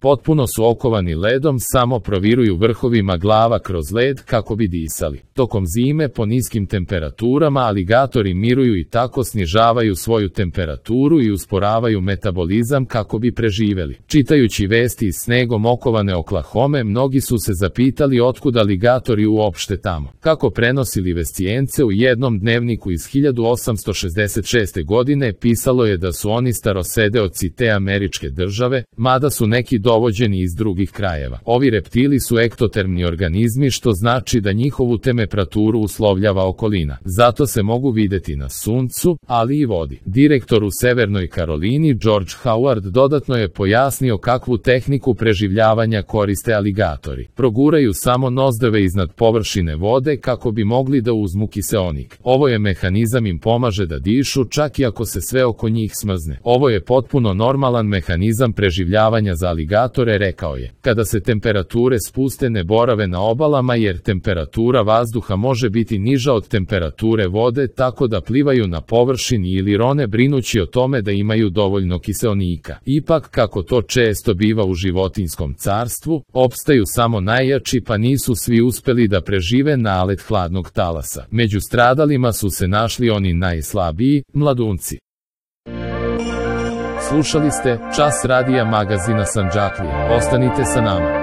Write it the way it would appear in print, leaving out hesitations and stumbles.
Potpuno su okovani ledom, samo proviruju vrhovima glava kroz led kako bi disali. Tokom zime po niskim temperaturama aligatori miruju i tako snižavaju svoju temperaturu i usporavaju metabolizam kako bi preživeli. Čitajući vesti iz snegom okovane Oklahome, mnogi su se zapitali otkud aligatori uopšte tamo. Kako prenosi Livescijence u jednom dnevniku iz 1866. godine pisalo je da su oni starosedeoci te američke države, mada su neki dovođeni iz drugih krajeva. Ovi reptili su ektotermni organizmi, što znači da njihovu temperaturu uslovljava okolina. Zato se mogu videti na suncu, ali i vodi. Direktor u Severnoj Karolini George Howard dodatno je pojasnio kakvu tehniku preživljavanja koriste aligatori. Proguraju samo nozdrve iznad površine vode kako bi mogli da uzmu kiseonik. Ovo je mehanizam im pomaže da dišu čak i ako se sve oko njih smrzne. Ovo je potpuno normalan mehanizam preživljavanja za aligatore, rekao je. Kada se temperature spuste, ne borave na obalama jer temperatura vazduha može biti niža od temperature vode, tako da plivaju na površini ili rone brinući o tome da imaju dovoljno kiseonika. Ipak, kako to često biva u životinjskom carstvu, opstaju samo najjači, pa nisu svi uspeli da prežive nalet hladnog talasa. Među stradalima su se našli oni najslabiji, mladunci. Slušali ste Čas radija magazina Sandžaklije. Ostanite sa nama.